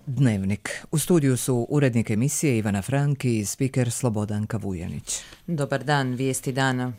Dnevnik. U studiju su urednik emisije Ivana Franki i spiker Slobodanka Vujanić. Dobar dan, vijesti dana.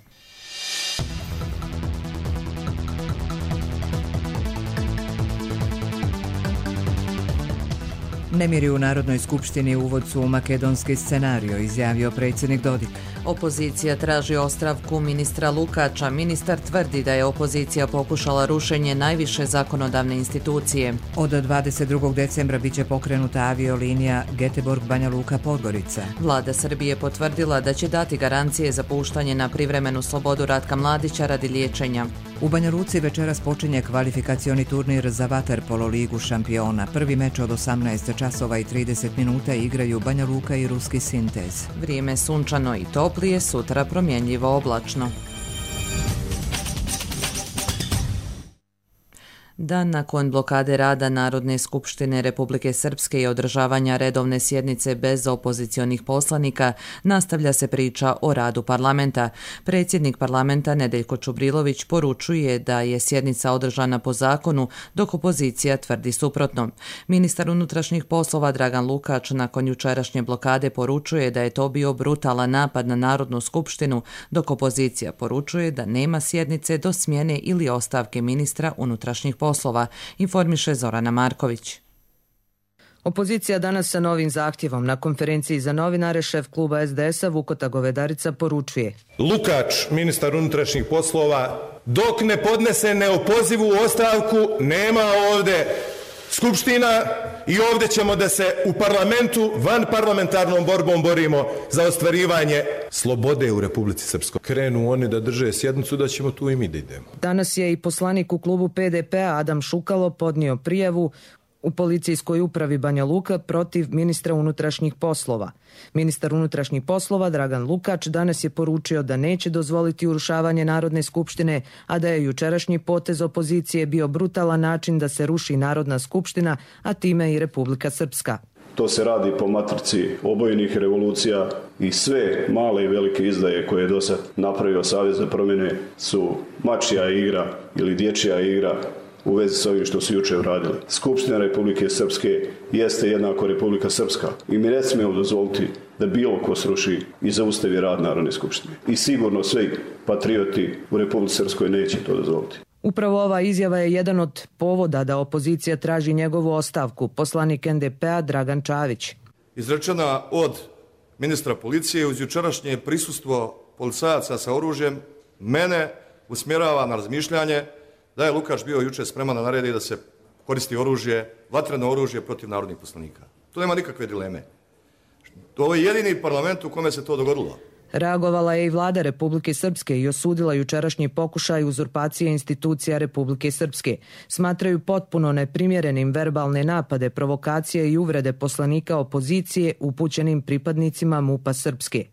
Nemiri u Narodnoj skupštini uvod su u makedonski scenario, izjavio predsjednik Dodik. Opozicija traži ostavku ministra Lukača. Ministar tvrdi da je opozicija pokušala rušenje najviše zakonodavne institucije. Od 22. decembra biće pokrenuta aviolinija Göteborg-Banja Luka-Podgorica. Vlada Srbije potvrdila da će dati garancije za puštanje na privremenu slobodu Ratka Mladića radi liječenja. U Banja Luci večeras počinje kvalifikacioni turnir za vaterpolo ligu šampiona. Prvi meč od 18 časova i 30 minuta igraju Banja Luka i Ruski Sintez. Vrijeme sunčano i toplije, sutra promjenjivo oblačno. Dan nakon blokade rada Narodne skupštine Republike Srpske i održavanja redovne sjednice bez opozicionih poslanika, nastavlja se priča o radu parlamenta. Predsjednik parlamenta Nedeljko Čubrilović poručuje da je sjednica održana po zakonu, dok opozicija tvrdi suprotno. Ministar unutrašnjih poslova Dragan Lukač nakon jučerašnje blokade poručuje da je to bio brutalan napad na Narodnu skupštinu, dok opozicija poručuje da nema sjednice do smjene ili ostavke ministra unutrašnjih poslova, informiše Zorana Marković. Opozicija danas sa novim zahtjevom na konferenciji za novinare šef kluba SDS-a Vukota Govedarica poručuje: Lukač, ministar unutrašnjih poslova, dok ne podnese neopozivu ostavku, nema ovdje skupština i ovdje ćemo da se u parlamentu vanparlamentarnom borbom borimo za ostvarivanje slobode u Republici Srpskoj. Krenu oni da drže sjednicu, da ćemo tu i mi da idemo. Danas je i poslanik u klubu PDP-a Adam Šukalo podnio prijavu u policijskoj upravi Banja Luka protiv ministra unutrašnjih poslova. Ministar unutrašnjih poslova Dragan Lukač danas je poručio da neće dozvoliti urušavanje Narodne skupštine, a da je jučerašnji potez opozicije bio brutalan način da se ruši Narodna skupština, a time i Republika Srpska. To se radi po matrici obojenih revolucija i sve male i velike izdaje koje je do sad napravio Savez za promjene su mačja igra ili dječja igra u vezi s ovim što su juče uradili. Skupština Republike Srpske jeste jednako Republika Srpska i mi ne smijemo dozvoliti da bilo ko sruši i zaustavi rad Narodne skupštine. I sigurno svi patrioti u Republici Srpskoj neće to dozvoliti. Upravo ova izjava je jedan od povoda da opozicija traži njegovu ostavku. Poslanik NDP-a Dragan Čavić. Izrečena od ministra policije uz jučerašnje prisustvo policajaca sa oružjem mene usmjerava na razmišljanje da je Lukač bio juče spreman da naredi da se koristi oružje, vatreno oružje protiv narodnih poslanika. To nema nikakve dileme. To je jedini parlament u kome se to dogodilo. Reagovala je i vlada Republike Srpske i osudila jučerašnji pokušaj uzurpacije institucija Republike Srpske. Smatraju potpuno neprimjerenim verbalne napade, provokacije i uvrede poslanika opozicije upućenim pripadnicima MUP-a Srpske.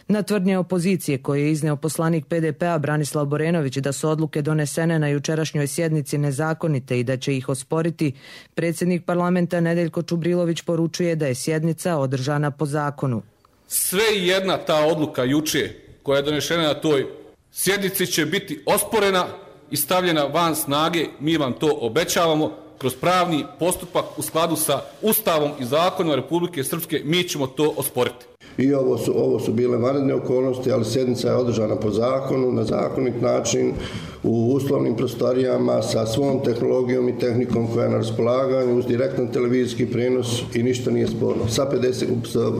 Na tvrdnje opozicije koje je izneo poslanik PDP-a Branislav Borenović da su odluke donesene na jučerašnjoj sjednici nezakonite i da će ih osporiti, predsjednik parlamenta Nedeljko Čubrilović poručuje da je sjednica održana po zakonu. Sve i jedna ta odluka juče koja je donešena na toj sjednici će biti osporena i stavljena van snage, mi vam to obećavamo, kroz pravni postupak u skladu sa Ustavom i zakonom Republike Srpske mi ćemo to osporiti. I ovo su bile vanredne okolnosti, ali sjednica je održana po zakonu, na zakonit način, u uslovnim prostorijama, sa svom tehnologijom i tehnikom koja je na raspolaganju, uz direktan televizijski prenos i ništa nije sporno. Sa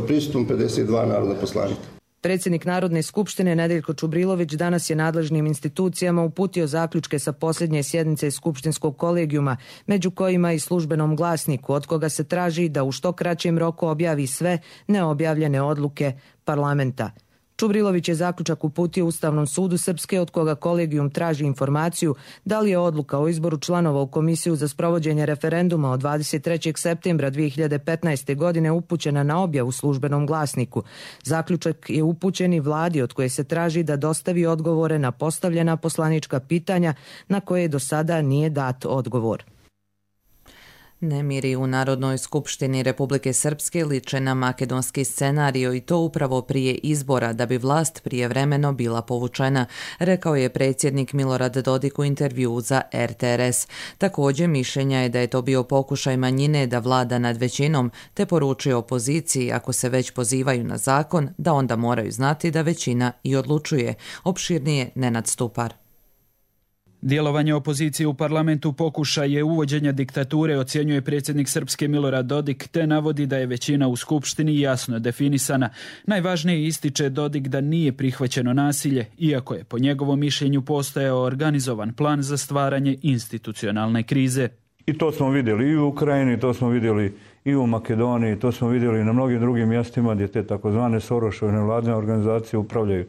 prisustvom 52 narodna poslanika. Predsjednik Narodne skupštine Nedeljko Čubrilović danas je nadležnim institucijama uputio zaključke sa posljednje sjednice skupštinskog kolegijuma, među kojima i službenom glasniku, od koga se traži da u što kraćem roku objavi sve neobjavljene odluke parlamenta. Čubrilović je zaključak uputio Ustavnom sudu Srpske, od koga kolegijum traži informaciju da li je odluka o izboru članova u Komisiju za sprovođenje referenduma od 23. septembra 2015. godine upućena na objavu službenom glasniku. Zaključak je upućen i vladi, od koje se traži da dostavi odgovore na postavljena poslanička pitanja na koje do sada nije dat odgovor. Nemiri u Narodnoj skupštini Republike Srpske liče na makedonski scenario i to upravo prije izbora da bi vlast prijevremeno bila povučena, rekao je predsjednik Milorad Dodik u intervjuu za RTRS. Također mišljenja je da je to bio pokušaj manjine da vlada nad većinom, te poručio opoziciji ako se već pozivaju na zakon da onda moraju znati da većina i odlučuje. Opširnije Nenad Stupar. Djelovanje opozicije u parlamentu pokušaj je uvođenja diktature, ocjenjuje predsjednik Srpske Milorad Dodik, te navodi da je većina u skupštini jasno definisana. Najvažnije ističe Dodik da nije prihvaćeno nasilje, iako je po njegovom mišljenju postojao organizovan plan za stvaranje institucionalne krize. I to smo vidjeli i u Ukrajini, to smo vidjeli i u Makedoniji, to smo vidjeli i na mnogim drugim mjestima gdje te takozvane Sorošove nevladine organizacije upravljaju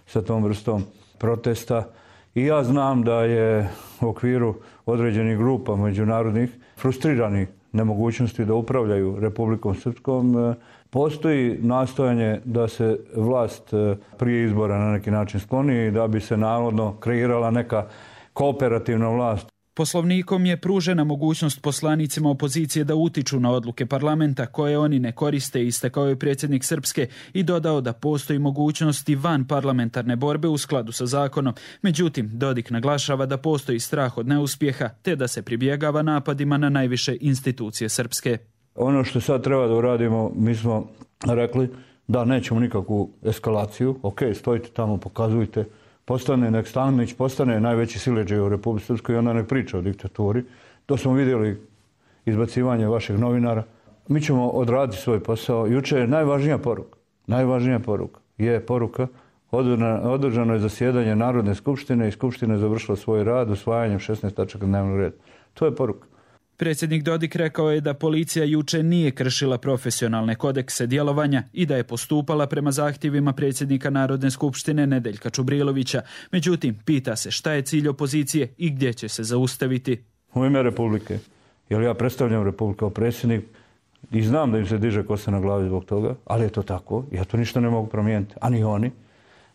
sa tom vrstom protesta. I ja znam da je u okviru određenih grupa međunarodnih frustriranih nemogućnosti da upravljaju Republikom Srpskom postoji nastojanje da se vlast prije izbora na neki način skloni i da bi se navodno kreirala neka kooperativna vlast. Poslovnikom je pružena mogućnost poslanicima opozicije da utiču na odluke parlamenta koje oni ne koriste, istakao je predsjednik Srpske i dodao da postoji mogućnosti van parlamentarne borbe u skladu sa zakonom. Međutim, Dodik naglašava da postoji strah od neuspjeha te da se pribjegava napadima na najviše institucije Srpske. Ono što sad treba da uradimo, mi smo rekli da nećemo nikakvu eskalaciju. Ok, stojite tamo, pokazujte. Nek Stanović postane najveći siledžaj u Republici Srpskoj i onda ne priča o diktaturi. To smo vidjeli izbacivanje vaših novinara. Mi ćemo odraditi svoj posao. Juče je najvažnija poruka je poruka održano je zasjedanje Narodne skupštine i Skupština je završila svoj rad usvajanjem 16 tačaka dnevnog reda. To je poruka. Predsjednik Dodik rekao je da policija juče nije kršila profesionalne kodekse djelovanja i da je postupala prema zahtjevima predsjednika Narodne skupštine Nedeljka Čubrilovića. Međutim, pita se šta je cilj opozicije i gdje će se zaustaviti. U ime Republike, jer ja predstavljam Republiku kao predsjednik i znam da im se diže kosa na glavi zbog toga, ali je to tako, ja to ništa ne mogu promijeniti, a ni oni.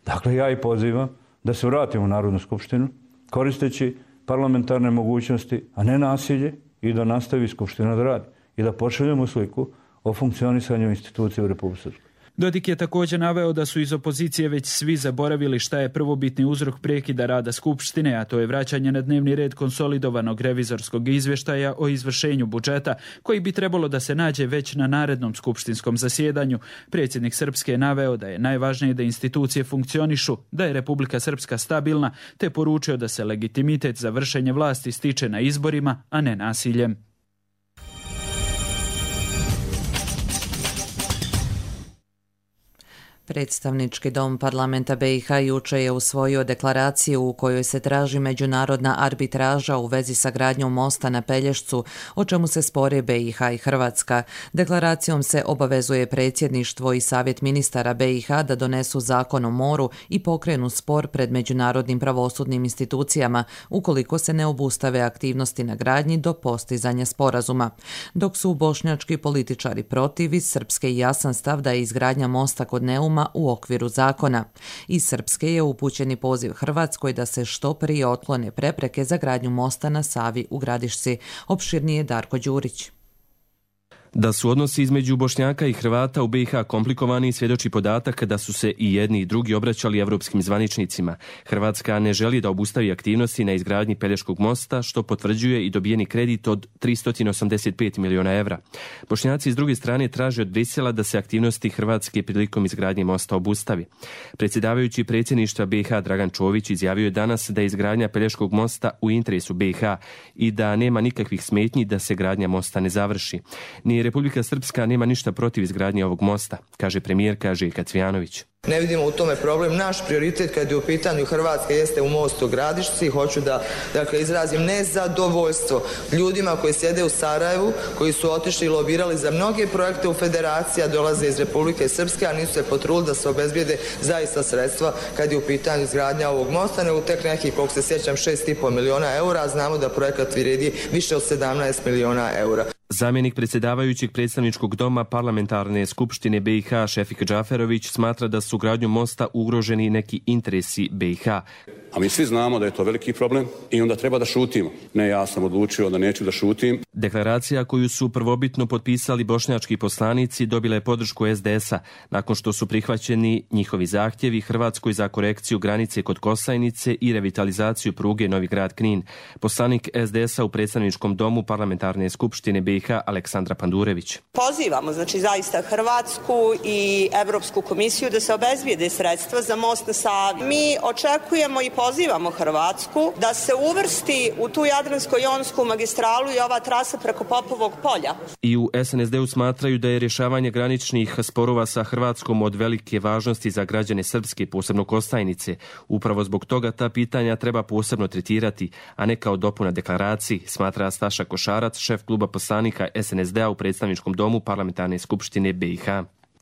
Dakle, ja i pozivam da se vratimo u Narodnu skupštinu koristeći parlamentarne mogućnosti, a ne nasilje, i da nastavi Skupština da radi i da pošaljemo sliku o funkcionisanju institucije u Republici Srpskoj. Dodik je također naveo da su iz opozicije već svi zaboravili šta je prvobitni uzrok prekida rada Skupštine, a to je vraćanje na dnevni red konsolidovanog revizorskog izvještaja o izvršenju budžeta, koji bi trebalo da se nađe već na narednom skupštinskom zasjedanju. Predsjednik Srpske je naveo da je najvažnije da institucije funkcionišu, da je Republika Srpska stabilna, te poručio da se legitimitet za vršenje vlasti stiče na izborima, a ne nasiljem. Predstavnički dom parlamenta BiH juče je usvojio deklaraciju u kojoj se traži međunarodna arbitraža u vezi sa gradnjom mosta na Pelješcu, o čemu se spore BiH i Hrvatska. Deklaracijom se obavezuje predsjedništvo i savjet ministara BiH da donesu zakon o moru i pokrenu spor pred međunarodnim pravosudnim institucijama ukoliko se ne obustave aktivnosti na gradnji do postizanja sporazuma. Dok su bošnjački političari protiv, iz Srpske i jasan stav da je izgradnja mosta kod Neuma u okviru zakona. Iz Srpske je upućeni poziv Hrvatskoj da se što prije otklone prepreke za gradnju mosta na Savi u Gradišci. Opširnije Darko Đurić. Da su odnosi između Bošnjaka i Hrvata u BiH komplikovani svjedoči podatak da su se i jedni i drugi obraćali evropskim zvaničnicima. Hrvatska ne želi da obustavi aktivnosti na izgradnji Pelješkog mosta, što potvrđuje i dobijeni kredit od 385 miliona evra. Bošnjaci s druge strane traže od Brisela da se aktivnosti Hrvatske prilikom izgradnje mosta obustavi. Predsjedavajući predsjedništva BiH Dragan Čović izjavio je danas da je izgradnja Pelješkog mosta u interesu BiH i da nema nikakvih smetnji da se gradnja mosta ne završi. Ni Republika Srpska nema ništa protiv izgradnje ovog mosta, kaže premijerka Željka Cvijanović. Ne vidimo u tome problem. Naš prioritet kad je u pitanju Hrvatske jeste u mostu Gradišci. Hoću da izrazim nezadovoljstvo ljudima koji sjede u Sarajevu, koji su otišli i lobirali za mnoge projekte u federaciji, a dolaze iz Republike Srpske, a nisu se potrudili da se obezbijede zaista sredstva kad je u pitanju izgradnja ovog mosta, nego tek nekih, koliko se sjećam, 6,5 miliona eura, a znamo da projekat vrijedi više od 17 miliona eura. Zamjenik predsjedavajućeg predstavničkog doma parlamentarne skupštine BiH Šefik Džaferović smatra da su gradnjom mosta ugroženi neki interesi BiH. A mi svi znamo da je to veliki problem i onda treba da šutimo. Ne, ja sam odlučio da neću da šutim. Deklaracija koju su prvobitno potpisali bošnjački poslanici dobila je podršku SDS-a nakon što su prihvaćeni njihovi zahtjevi Hrvatskoj za korekciju granice kod Kosajnice i revitalizaciju pruge Novi Grad-Knin. Poslanik SDS-a u predstavničkom domu parlamentarne skupštine BiH Aleksandra Pandurević. Pozivamo zaista Hrvatsku i Europsku komisiju da se obezbijede sredstva za most na Savi. Mi očekujemo i pozivamo Hrvatsku da se uvrsti u tu Jadransko-jonsku magistralu i ova trasa preko Popovog polja. I u SNSD-u smatraju da je rješavanje graničnih sporova sa Hrvatskom od velike važnosti za građane Srpske, posebno Kostajnice. Upravo zbog toga ta pitanja treba posebno tretirati, a ne kao dopuna deklaraciji, smatra Staša Košarac, šef kluba poslanika SNSD-a u predstavničkom domu parlamentarne skupštine BiH.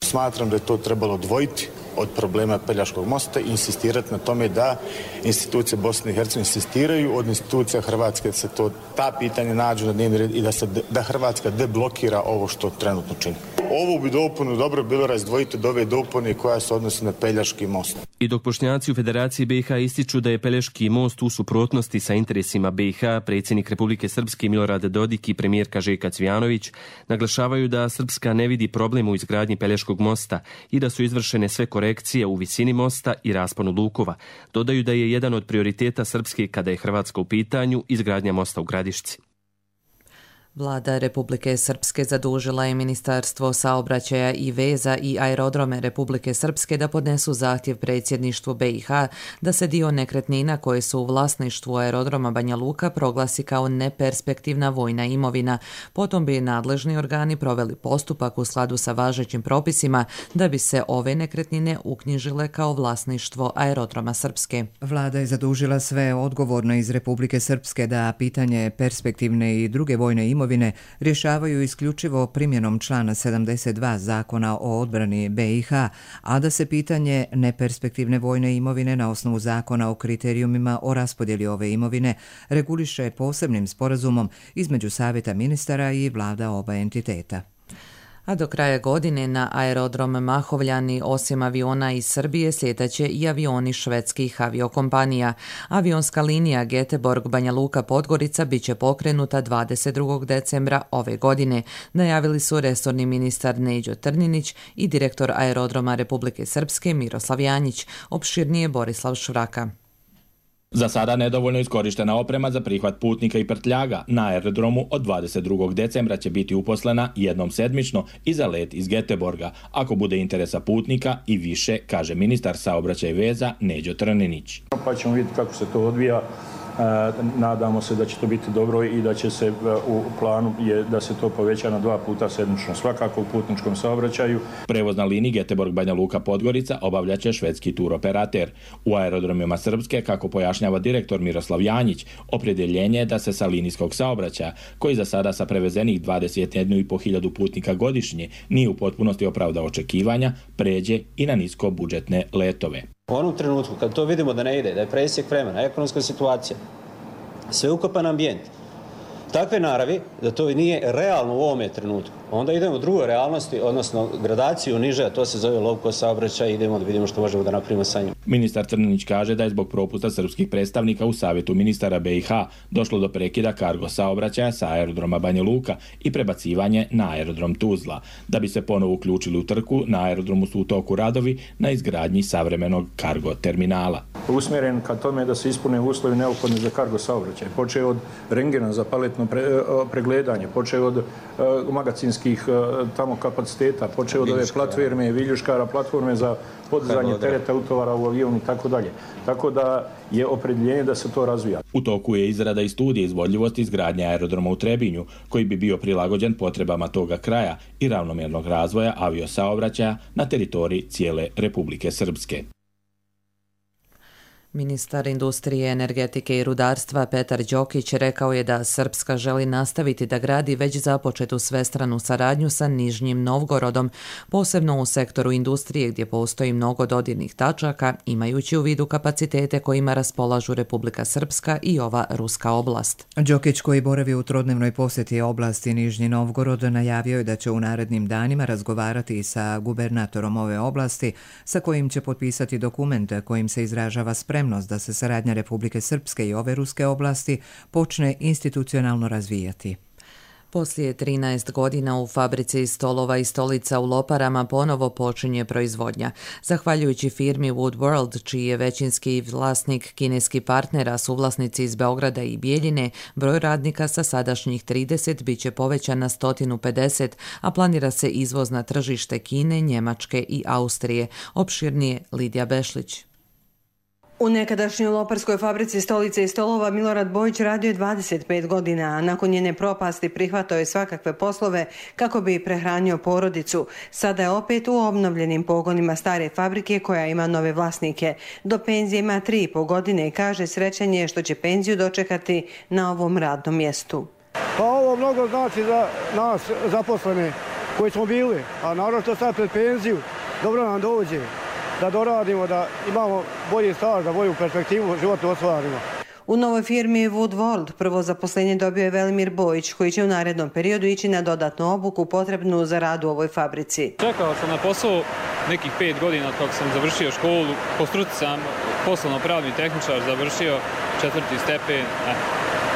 Smatram da je to trebalo odvojiti od problema Pelješkog mosta i insistirati na tome da institucije Bosne i Hercegovine insistiraju od institucija Hrvatske da se ta pitanja nađu na dnevni red i da Hrvatska deblokira ovo što trenutno čini. Ovu bi dopunu dobro bilo razdvojiti od ove dopune koja se odnosi na Pelješki most. I dok Bošnjaci u Federaciji BiH ističu da je Pelješki most u suprotnosti sa interesima BiH, predsjednik Republike Srpske Milorad Dodik i premijerka Željka Cvijanović naglašavaju da Srpska ne vidi problem u izgradnji Pelješkog mosta i da su izvršene sve korekcije u visini mosta i rasponu lukova. Dodaju da je jedan od prioriteta Srpske kada je Hrvatska u pitanju izgradnja mosta u Gradišci. Vlada Republike Srpske zadužila je Ministarstvo saobraćaja i veza i aerodrome Republike Srpske da podnesu zahtjev predsjedništvu BiH da se dio nekretnina koje su u vlasništvu aerodroma Banja Luka proglasi kao neperspektivna vojna imovina. Potom bi nadležni organi proveli postupak u skladu sa važećim propisima da bi se ove nekretnine uknjižile kao vlasništvo aerodroma Srpske. Vlada je zadužila sve odgovorne iz Republike Srpske da pitanje perspektivne i druge vojne imovine rješavaju isključivo primjenom člana 72 Zakona o odbrani BiH, a da se pitanje neperspektivne vojne imovine na osnovu Zakona o kriterijumima o raspodjeli ove imovine reguliše posebnim sporazumom između Savjeta ministara i vlada oba entiteta. A do kraja godine na aerodrom Mahovljani osim aviona iz Srbije sljetaće i avioni švedskih aviokompanija. Avionska linija Göteborg-Banja Luka-Podgorica bit će pokrenuta 22. decembra ove godine, najavili su resorni ministar Neđo Trninić i direktor aerodroma Republike Srpske Miroslav Janjić, opširnije Borislav Švraka. Za sada nedovoljno iskorištena oprema za prihvat putnika i prtljaga na aerodromu od 22. decembra će biti uposlena jednom sedmično i za let iz Göteborga, ako bude interesa putnika i više, kaže ministar saobraćaja i veza Neđo Trninić. Pa ćemo vidjeti kako se to odvija. Nadamo se da će to biti dobro i da će se u planu je da se to poveća na 2 puta sedmično, svakako u putničkom saobraćaju. Prevoz na liniji Göteborg-Banja Luka-Podgorica obavljaće švedski turoperater. U aerodromima Srpske, kako pojašnjava direktor Miroslav Janjić, opredjeljenje je da se sa linijskog saobraćaja, koji za sada sa prevezenih 21.500 putnika godišnje nije u potpunosti opravdao očekivanja, pređe i na nisko budžetne letove. U onom trenutku kad to vidimo da ne ide, da je presjek vremena, ekonomska situacija, sveukupan ambijent, takve naravi da to nije realno u ovome trenutku, onda idemo u drugoj realnosti, odnosno gradaciju niže, a to se zove low cost saobraćaj, idemo da vidimo što možemo da napravimo sa njim. Ministar Trninić kaže da je zbog propusta srpskih predstavnika u Savjetu ministara BiH došlo do prekida kargo saobraćaja sa aerodroma Banja Luka i prebacivanje na aerodrom Tuzla. Da bi se ponovo uključili u trku, na aerodromu su u toku radovi na izgradnji savremenog kargo terminala. Usmjeren ka tome da se ispune uslovi neophodni za kargo saobraćaj. Počeo od rengena za paletno pregledanje, počeo od magacinskih tamo kapaciteta, počeo od ove platforme, viljuškara, platforme za podizanje tereta utovara u avionu i tako dalje. Tako da je opredjeljenje da se to razvija. U toku je izrada i studije izvodljivosti izgradnje aerodroma u Trebinju, koji bi bio prilagođen potrebama toga kraja i ravnomjernog razvoja aviosaobraćaja na teritoriji cijele Republike Srpske. Ministar industrije, energetike i rudarstva Petar Đokić rekao je da Srpska želi nastaviti da gradi već započetu svestranu saradnju sa Nižnjim Novgorodom, posebno u sektoru industrije gdje postoji mnogo dodirnih tačaka, imajući u vidu kapacitete kojima raspolažu Republika Srpska i ova ruska oblast. Đokić, koji boravi u trodnevnoj posjeti oblasti Nižnji Novgorod, najavio je da će u narednim danima razgovarati sa gubernatorom ove oblasti, sa kojim će potpisati dokument kojim se izražava spremnost da se saradnja Republike Srpske i ove ruske oblasti počne institucionalno razvijati. Poslije 13 godina u fabrici stolova i stolica u Loparama ponovo počinje proizvodnja. Zahvaljujući firmi Wood World, čiji je većinski vlasnik kineski partner, a suvlasnici iz Beograda i Bijeljine, broj radnika sa sadašnjih 30 bit će povećan na 150, a planira se izvoz na tržište Kine, Njemačke i Austrije. Opširnije Lidija Bešlić. U nekadašnjoj loparskoj fabrici stolice i stolova Milorad Bojić radio je 25 godina, a nakon njene propasti prihvatao je svakakve poslove kako bi prehranio porodicu. Sada je opet u obnovljenim pogonima stare fabrike koja ima nove vlasnike. Do penzije ima 3,5 godine i kaže srećan je što će penziju dočekati na ovom radnom mjestu. Pa ovo mnogo znači za nas zaposlene koji smo bili, a naravno što sad pred penziju dobro nam dođe. Da doradimo, da imamo bolji staž, da bolju perspektivu životnu ostvarimo. U novoj firmi Wood World prvo zaposlenje dobio je Velimir Bojić, koji će u narednom periodu ići na dodatnu obuku potrebnu za rad u ovoj fabrici. Čekao sam na posao nekih 5 godina kako sam završio školu. Po struci sam poslovno-pravni tehničar, završio 4. stepen.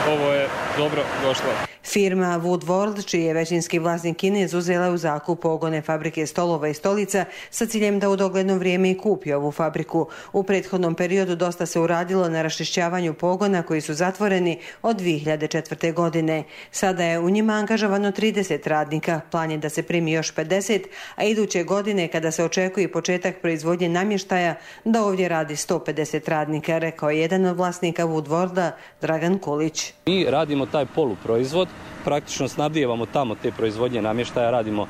Ovo je dobro došlo. Firma Wood World, čiji je većinski vlasnik Kinez, uzela u zakup pogone fabrike stolova i stolica sa ciljem da u dogledno vrijeme i kupi ovu fabriku. U prethodnom periodu dosta se uradilo na raščišćavanju pogona koji su zatvoreni od 2004. godine. Sada je u njima angažovano 30 radnika, plan je da se primi još 50, a iduće godine kada se očekuje početak proizvodnje namještaja da ovdje radi 150 radnika, rekao je jedan od vlasnika Wood Worlda, Dragan Kulić. Mi radimo taj poluproizvod, praktično snabdijevamo tamo te proizvodnje namještaja, radimo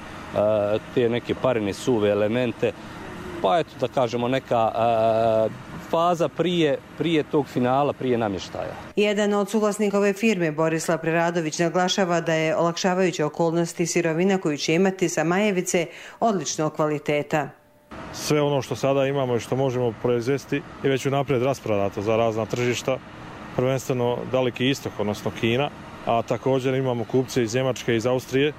te neke parene suve elemente, pa eto da kažemo neka faza prije tog finala, prije namještaja. Jedan od suvlasnika ove firme, Borislav Preradović, naglašava da je olakšavajuće okolnosti sirovina koju će imati sa Majevice odličnog kvaliteta. Sve ono što sada imamo i što možemo proizvesti je već unaprijed rasprodato za razna tržišta, prvenstveno Daleki istok, odnosno Kina, a također imamo kupce iz Njemačke i iz Austrije,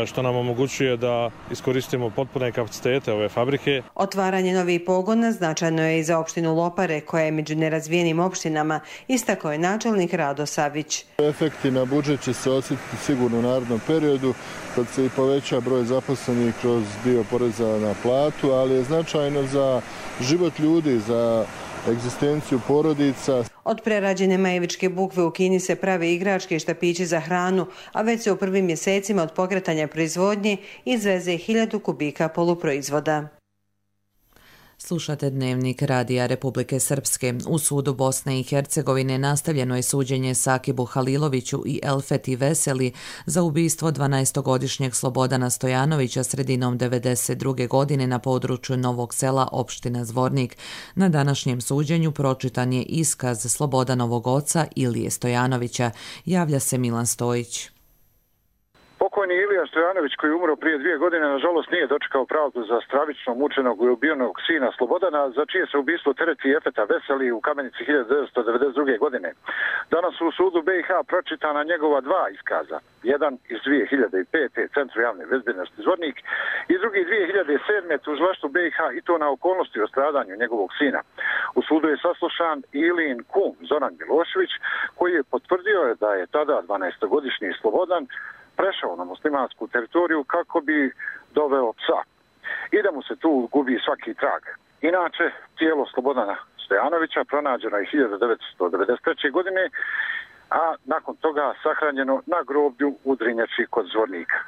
što nam omogućuje da iskoristimo potpune kapacitete ove fabrike. Otvaranje novih pogona značajno je i za opštinu Lopare, koja je među nerazvijenim opštinama, istakao je načelnik Rado Savić. Efekti na budžet će se osjetiti sigurno u narednom periodu, kad se i poveća broj zaposlenih kroz dio poreza na platu, ali je značajno za život ljudi, za egzistenciju porodica. Od prerađene majevičke bukve u Kini se prave igračke i štapići za hranu, a već se u prvim mjesecima od pokretanja proizvodnje izveze 1000 kubika poluproizvoda. Slušate Dnevnik Radija Republike Srpske. U sudu Bosne i Hercegovine nastavljeno je suđenje Sakibu Haliloviću i Elfeti Veseli za ubistvo 12-godišnjeg Slobodana Stojanovića sredinom 1992. godine na području Novog Sela, opština Zvornik. Na današnjem suđenju pročitan je iskaz Slobodanovog oca Ilije Stojanovića. Javlja se Milan Stojić. Pokojni Ilija Stojanović, koji je umro prije 2 godine, nažalost nije dočekao pravdu za stravično mučenog i ubijenog sina Slobodana, za čije se ubistvo tereti Efeta Veseli u Kamenici 1992. godine. Danas u sudu BiH pročitana njegova 2 iskaza. Jedan iz 2005. Centru javne bezbednosti Zvornik i drugi 2007. tužilaštvu BiH, i to na okolnosti o stradanju njegovog sina. U sudu je saslušan Ilijin kum Zoran Milošević, koji je potvrdio da je tada 12-godišnji Slobodan prešao na muslimansku teritoriju kako bi doveo psa i da mu se tu gubi svaki trag. Inače, tijelo Slobodana Stojanovića pronađeno je 1993. godine, a nakon toga sahranjeno na groblju u Drinjači kod Zvornika.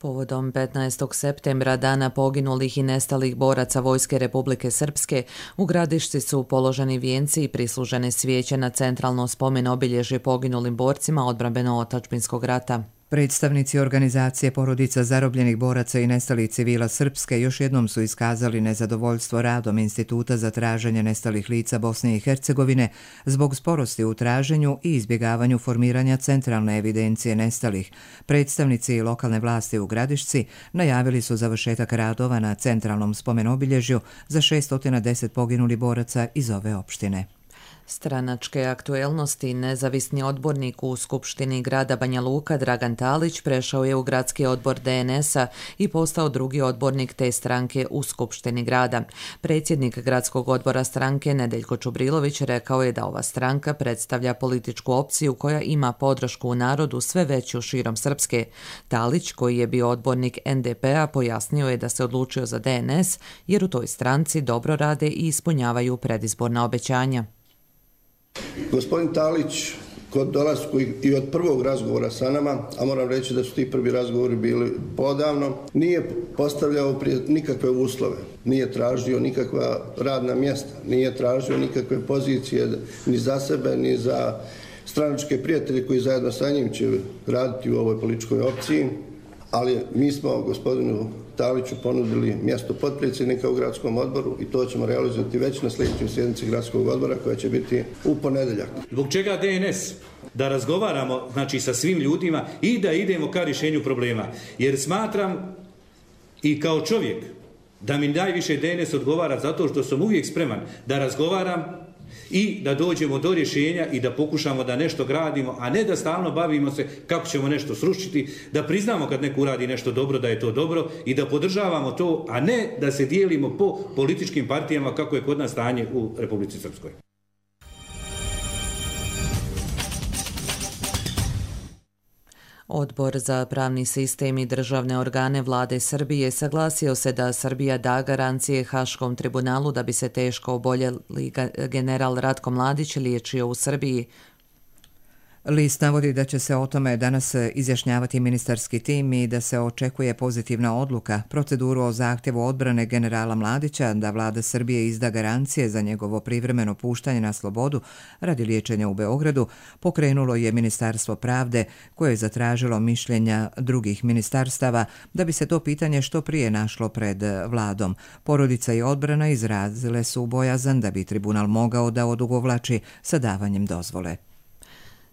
Povodom 15. septembra, dana poginulih i nestalih boraca Vojske Republike Srpske, u Gradišci su položeni vijenci i prislužene svijeće na centralno spomen obilježje poginulim borcima odbrambeno-otadžbinskog rata. Predstavnici organizacije porodica zarobljenih boraca i nestalih civila Srpske još jednom su iskazali nezadovoljstvo radom Instituta za traženje nestalih lica Bosne i Hercegovine zbog sporosti u traženju i izbjegavanju formiranja centralne evidencije nestalih. Predstavnici lokalne vlasti u Gradišci najavili su završetak radova na centralnom spomenobilježju za 610 poginulih boraca iz ove opštine. Stranačke aktuelnosti. Nezavisni odbornik u Skupštini grada Banja Luka Dragan Talić prešao je u gradski odbor DNS-a i postao drugi odbornik te stranke u Skupštini grada. Predsjednik gradskog odbora stranke Nedeljko Čubrilović rekao je da ova stranka predstavlja političku opciju koja ima podršku u narodu sve veću širom Srpske. Talić, koji je bio odbornik NDP-a, pojasnio je da se odlučio za DNS jer u toj stranci dobro rade i ispunjavaju predizborna obećanja. Gospodin Talić, kod dolasku i od prvog razgovora sa nama, a moram reći da su ti prvi razgovori bili podavno, nije postavljao nikakve uslove, nije tražio nikakva radna mjesta, nije tražio nikakve pozicije ni za sebe, ni za stranačke prijatelje koji zajedno sa njim će raditi u ovoj političkoj opciji, ali mi smo gospodinu Taliću ponudili mjesto potpredsjednika u gradskom odboru i to ćemo realizovati već na sljedećoj sjednici gradskog odbora koja će biti u ponedjeljak. Zbog čega DNS? Da razgovaramo sa svim ljudima i da idemo ka rješenju problema. Jer smatram i kao čovjek da mi najviše DNS odgovara zato što sam uvijek spreman da razgovaram i da dođemo do rješenja i da pokušamo da nešto gradimo, a ne da stalno bavimo se kako ćemo nešto srušiti, da priznamo kad neko uradi nešto dobro da je to dobro i da podržavamo to, a ne da se dijelimo po političkim partijama kako je kod nas stanje u Republici Srpskoj. Odbor za pravni sistem i državne organe vlade Srbije saglasio se da Srbija da garancije Haškom tribunalu da bi se teško oboljeli general Ratko Mladić liječio u Srbiji. List navodi da će se o tome danas izjašnjavati ministarski tim i da se očekuje pozitivna odluka. Proceduru o zahtjevu odbrane generala Mladića da vlada Srbije izda garancije za njegovo privremeno puštanje na slobodu radi liječenja u Beogradu pokrenulo je Ministarstvo pravde koje je zatražilo mišljenja drugih ministarstava da bi se to pitanje što prije našlo pred vladom. Porodica i odbrana izrazile su bojazan da bi tribunal mogao da odugovlači sa davanjem dozvole.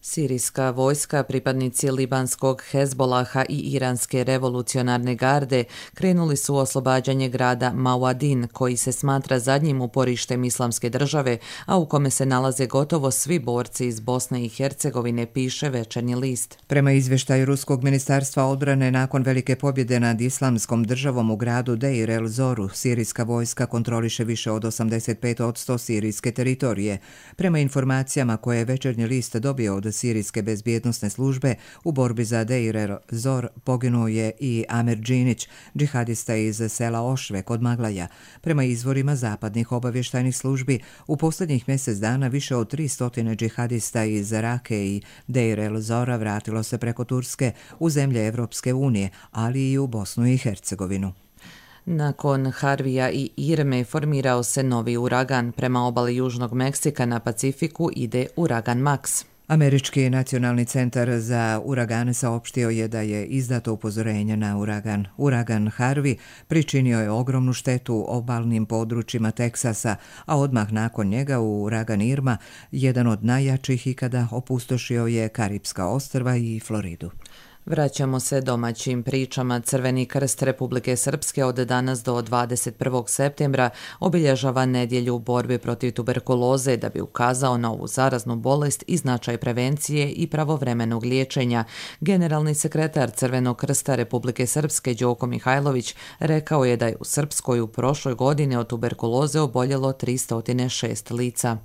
Sirijska vojska, pripadnici libanskog Hezbolaha i iranske revolucionarne garde krenuli su u oslobađanje grada Mauadin, koji se smatra zadnjim uporištem islamske države, a u kome se nalaze gotovo svi borci iz Bosne i Hercegovine, piše Večernji list. Prema izvještaju Ruskog ministarstva odbrane, nakon velike pobjede nad islamskom državom u gradu Deir el-Zoru, sirijska vojska kontroliše više od 85% sirijske teritorije. Prema informacijama koje je Večernji list dobio od sirijske bezbjednosne službe, u borbi za Deir el-Zor poginuo je i Amer Džinić, džihadista iz sela Ošve kod Maglaja. Prema izvorima zapadnih obavještajnih službi, u posljednjih mjesec dana više od 300 džihadista iz Rake i Deir el-Zora vratilo se preko Turske u zemlje Evropske unije, ali i u Bosnu i Hercegovinu. Nakon Harvija i Irme formirao se novi uragan. Prema obali Južnog Meksika na Pacifiku ide uragan Max. Američki nacionalni centar za uragane saopštio je da je izdato upozorenje na uragan. Uragan Harvey pričinio je ogromnu štetu obalnim područjima Teksasa, a odmah nakon njega uragan Irma, jedan od najjačih ikada, opustošio je Karipska ostrva i Floridu. Vraćamo se domaćim pričama. Crveni krst Republike Srpske od danas do 21. septembra obilježava nedjelju u borbi protiv tuberkuloze da bi ukazao na ovu zaraznu bolest i značaj prevencije i pravovremenog liječenja. Generalni sekretar Crvenog krsta Republike Srpske Đoko Mihajlović rekao je da je u Srpskoj u prošloj godini od tuberkuloze oboljelo 306 lica.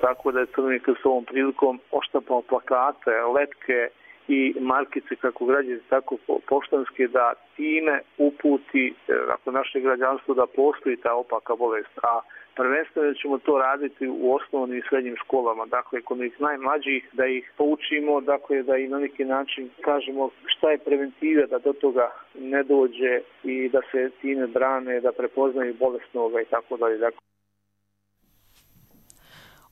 Tako da je Crveni krst ovom prilikom oštampao plakate, letke i markice kako građani, tako poštanske, da time uputi naše građanstvo da postoji ta opaka bolest. A prvenstveno ćemo to raditi u osnovnim i srednjim školama, dakle kod njih najmlađih, da ih poučimo, dakle da i na neki način kažemo šta je preventiva da do toga ne dođe i da se time brane, da prepoznaju bolesnoga i tako dalje.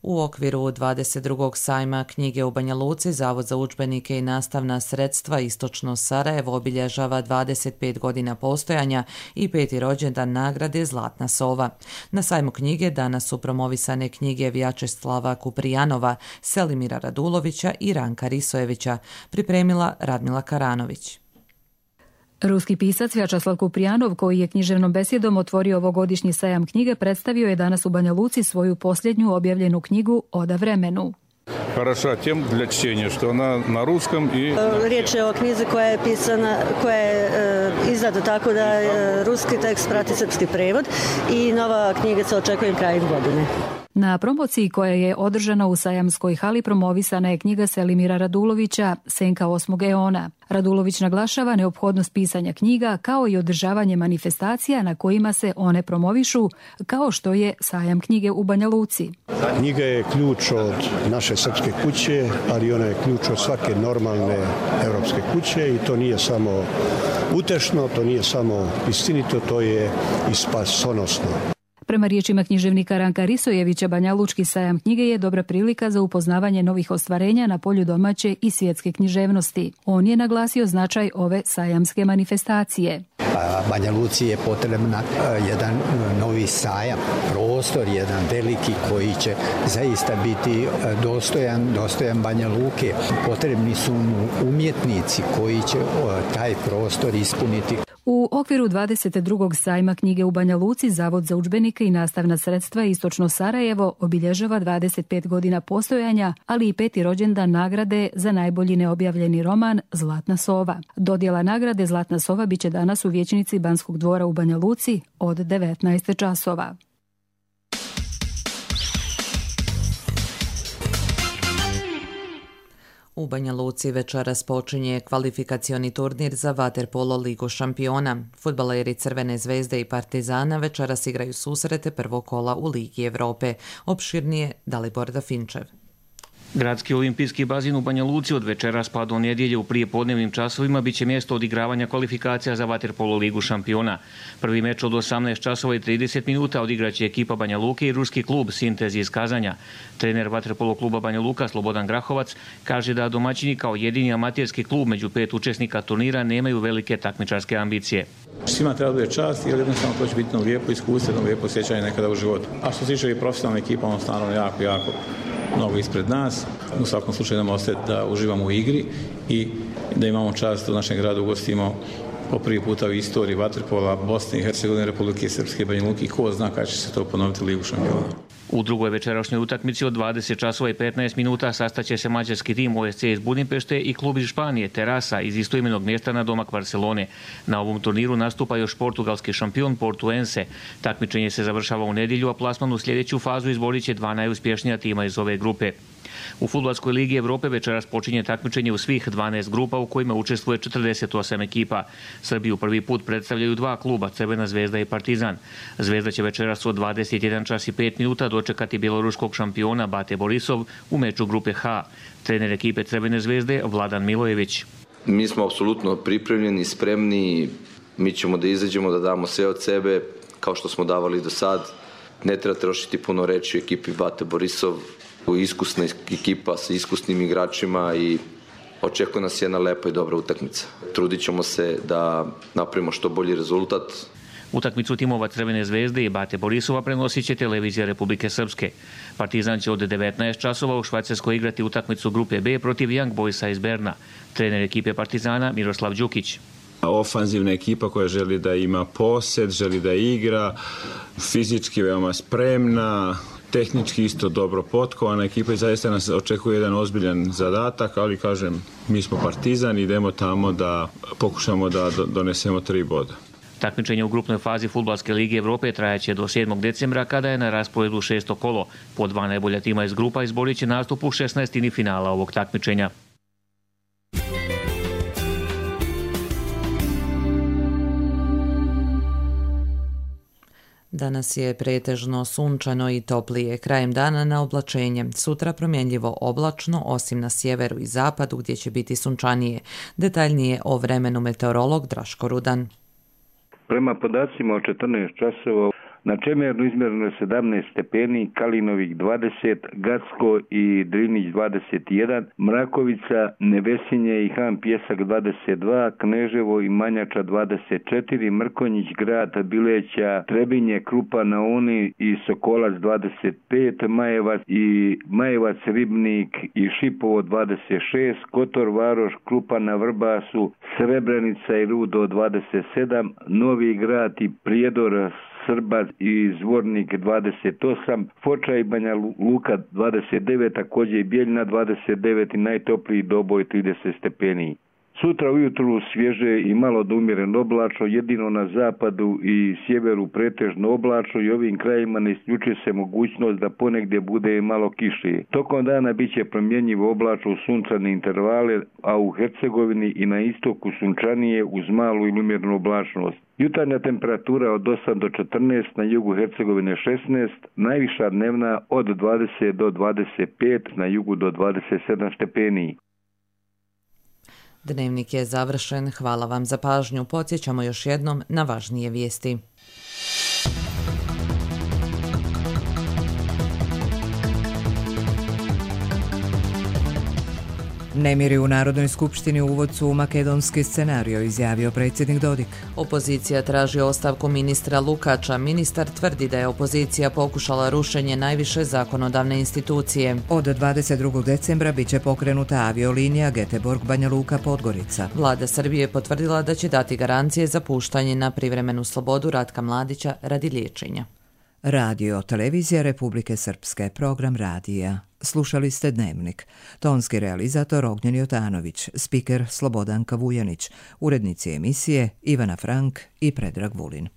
U okviru 22. sajma knjige u Banja Luci, Zavod za udžbenike i nastavna sredstva Istočno Sarajevo obilježava 25 godina postojanja i 5. rođendan nagrade Zlatna sova. Na sajmu knjige danas su promovisane knjige Vjačeslava Kuprijanova, Selimira Radulovića i Ranka Risojevića, pripremila Radmila Karanović. Ruski pisac Vjačeslav Kuprijanov, koji je književnom besjedom otvorio ovogodišnji sajam knjige, predstavio je danas u Banja Luci svoju posljednju objavljenu knjigu Oda vremenu. Хороша тем для чтения, что она на русском и... Riječ je o knjizi koja je pisana, koja je izdata tako da ruski tekst prati srpski prevod i nova knjiga se očekuje krajem godine. Na promociji koja je održana u sajamskoj hali promovisana je knjiga Selimira Radulovića Senka 8. eona. Radulović naglašava neophodnost pisanja knjiga kao i održavanje manifestacija na kojima se one promovišu, kao što je sajam knjige u Banja Luci. Knjiga je ključ od naše srpske kuće, ali ona je ključ od svake normalne evropske kuće i to nije samo utešno, to nije samo istinito, to je i spasonosno. Prema riječima književnika Ranka Risojevića, Banjalučki sajam knjige je dobra prilika za upoznavanje novih ostvarenja na polju domaće i svjetske književnosti. On je naglasio značaj ove sajamske manifestacije. Banja Luci je potrebna jedan novi sajam, prostor, jedan veliki koji će zaista biti dostojan Banja Luke. Potrebni su mu umjetnici koji će taj prostor ispuniti. U okviru 22. sajma knjige u Banja Luci, Zavod za udžbenike i nastavna sredstva Istočno Sarajevo obilježava 25 godina postojanja, ali i 5. rođendan nagrade za najbolji neobjavljeni roman Zlatna sova. Dodjela nagrade Zlatna sova biće danas u vijećnici Banskog dvora u Banja Luci od 19 časova. U Banja Luci večeras počinje kvalifikacioni turnir za vaterpolo ligu šampiona. Fudbaleri Crvene zvezde i Partizana večeras igraju susrete prvog kola u Ligi Evrope. Opširnije Dalibor Dafinčev. Gradski olimpijski bazin u Banja Luci od večeras pa do nedjelje u prijepodnevnim časovima biće mjesto odigravanja kvalifikacija za vaterpolo ligu šampiona. Prvi meč od 18 časova i 30 minuta odigraće ekipa Banja Luke i ruski klub Sintez iz Kazanja. Trener vaterpolo kluba Banja Luka Slobodan Grahovac kaže da domaćini kao jedini amaterski klub među 5 učesnika turnira nemaju velike takmičarske ambicije. Svima treba bude čast jer jednostavno to će biti lijepo iskustvo, lijepo sjećanje nekada u životu. A što se tiče i profesionalne ekipa, ono stvarno jako mnogo ispred nas. U svakom slučaju nam ostaje da uživamo u igri i da imamo čast u našem gradu ugostimo po prvi puta u istoriji vaterpola Bosne i Hercegovine, Republike Srpske, Banja Luke i ko zna kada će se to ponoviti Ligu šampiona. U drugoj večerašnjoj utakmici od 20 časova i 15 minuta sastaće se mađarski tim OSC iz Budimpešte i klub iz Španije Terasa iz istoimenog mjesta na domak Barcelone. Na ovom turniru nastupa još portugalski šampion Portuense. Takmičenje se završava u nedjelju, a plasman u sljedeću fazu izborit će 2 najuspješnija tima iz ove grupe. U Fudbalskoj ligi Evrope večeras počinje takmičenje u svih 12 grupa u kojima učestvuje 48 ekipa. Srbiju prvi put predstavljaju 2 kluba, Crvena zvezda i Partizan. Zvezda će večeras od 21 čas i 5 minuta dočekati bjeloruskog šampiona Bate Borisov u meču grupe H. Trener ekipe Crvene zvezde Vladan Milojević. Mi smo apsolutno pripremljeni, spremni, mi ćemo da izađemo, da damo sve od sebe kao što smo davali do sad. Ne treba trošiti puno reći u ekipi Bate Borisov. Iskusna ekipa sa iskusnim igračima i očekuje nas jedna lepa i dobra utakmica. Trudit ćemo se da napravimo što bolji rezultat. Utakmicu timova Crvene zvezde i Bate Borisova prenosit će televizija Republike Srpske. Partizan će od 19 časova u Švajcarskoj igrati utakmicu grupe B protiv Young Boysa iz Berna. Trener ekipe Partizana Miroslav Đukić. Ofanzivna ekipa koja želi da ima posed, želi da igra, fizički veoma spremna, tehnički isto dobro potkovana ekipa i zaista nas očekuje jedan ozbiljan zadatak, ali kažem, mi smo Partizan, idemo tamo da pokušamo da donesemo 3 boda. Takmičenje u grupnoj fazi Fudbalske lige Evrope trajaće do 7. decembra kada je na rasporedu 6. kolo. Po 2 najbolja tima iz grupa izborit će nastup u 16. finala ovog takmičenja. Danas je pretežno sunčano i toplije, krajem dana na oblačenje. Sutra promjenljivo oblačno, osim na sjeveru i zapadu gdje će biti sunčanije. Detaljnije o vremenu meteorolog Draško Rudan. Prema podacima od 14 časova Na Čemernu izmjereno je 17 stepeni, Kalinovik 20, Gacko i Drinić 21, Mrakovica, Nevesinje i Han Pjesak 22, Kneževo i Manjača 24, Mrkonjić, Grad, Bileća, Trebinje, Krupa na Uni i Sokolac 25, Majevac, Ribnik i Šipovo 26, Kotor, Varoš, Krupa na Vrbasu, Srebrenica i Rudo 27, Novi Grad i Prijedor, Srbac i Zvornik 28, Foča i Banja Luka 29, također i Bijeljina 29 i najtopliji Doboj 30 stepeni. Sutra ujutru svježe i malo do umjereno oblačno, jedino na zapadu i sjeveru pretežno oblačno i ovim krajima ne isključuje se mogućnost da ponegdje bude malo kiše. Tokom dana bit će promjenjivo oblačno u sunčane intervale, a u Hercegovini i na istoku sunčanije uz malu ili umjerenu oblačnost. Jutarnja temperatura od 8 do 14, na jugu Hercegovine 16, najviša dnevna od 20 do 25, na jugu do 27 stepeni. Dnevnik je završen. Hvala vam za pažnju. Podsjećamo još jednom na važnije vijesti. Nemiri u Narodnoj skupštini uvod su u makedonski scenario, izjavio predsjednik Dodik. Opozicija traži ostavku ministra Lukača. Ministar tvrdi da je opozicija pokušala rušenje najviše zakonodavne institucije. Od 22. decembra bit će pokrenuta aviolinija Göteborg-Banja Luka-Podgorica. Vlada Srbije potvrdila da će dati garancije za puštanje na privremenu slobodu Ratka Mladića radi liječenja. Radio Televizija Republike Srpske, program radija. Slušali ste Dnevnik. Tonski realizator Ognjen Jotanović, spiker Slobodanka Vujanić, urednici emisije Ivana Frank i Predrag Vulin.